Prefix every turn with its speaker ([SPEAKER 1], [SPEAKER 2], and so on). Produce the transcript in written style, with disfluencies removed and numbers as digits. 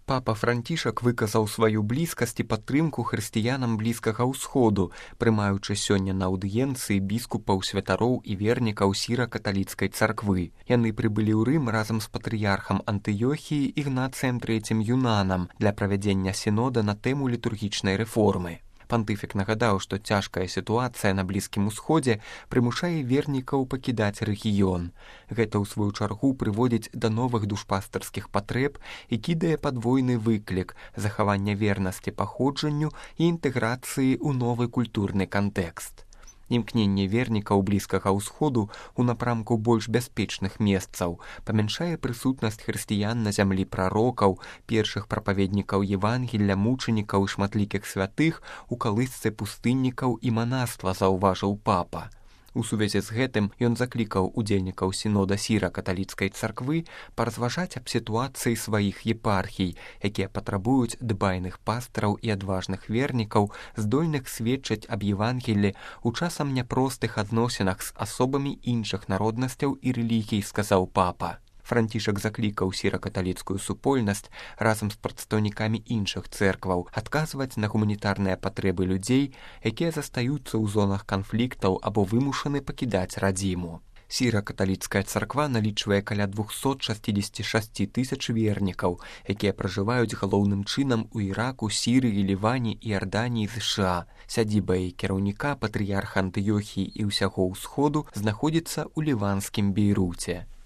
[SPEAKER 1] Папа Францішак выказаў сваю блізкасць і падтрымку хрысціянам Блізкага ўсходу, прымаючы сёння на аўдыенцыі біскупаў, святароў і вернікаў сіра-каталіцкай царквы. Яны прыбылі ў Рым разам з патрыярхам Антыёхіі Ігнацыем III Юнанам для правядзення сінода на тэму літургічнай рэформы. Пантыфік нагадаў, што цяжкая сітуацыя на Блізкім усходзе прымушае вернікаў пакідаць рэгіён. Гэта, ў сваю чаргу, прыводзіць да новых душпастарскіх патрэб і кідае падвойны выклік захавання вернасці паходжанню і інтэграцыі ў новы культурны кантэкст. Імкненне вернікаў Блізкага ўсходу ў напрамку больш бяспечных месцаў памяншае прысутнасць хрысціян на зямлі прарокаў, першых прапаведнікаў Евангелля, мучанікаў і шматлікіх святых у калысцы пустыннікаў і манаства, заўважыў папа. У сувязі з гэтым ён заклікаў удзельнікаў сінода сіра-каталіцкай царквы паразважаць аб сітуацыі сваіх епархій, якія патрабуюць дбайных пастыраў і адважных вернікаў, здольных сведчыць аб Евангеллі ў часам няпростых адносінах з асобамі іншых народнасцяў і рэлігій, сказаў папа. Францішак заклікаў сіра-каталіцкую супольнасць разам з прадстаўнікамі іншых цэркваў адказваць на гуманітарныя патрэбы людзей, якія застаюцца ў зонах канфліктаў або вымушаны пакідаць радзіму. Сіра-каталіцкая царква налічвае каля 266 тысяч вернікаў, якія пражываюць галоўным чынам у Іраку, Сірыі, Ліване, Іарданіі, ЗША. Сядзіба і кіраўніка патрыярха Антыёхіі і ўсяго ўсходу знаходзіцца ў ліванскім Бейруце.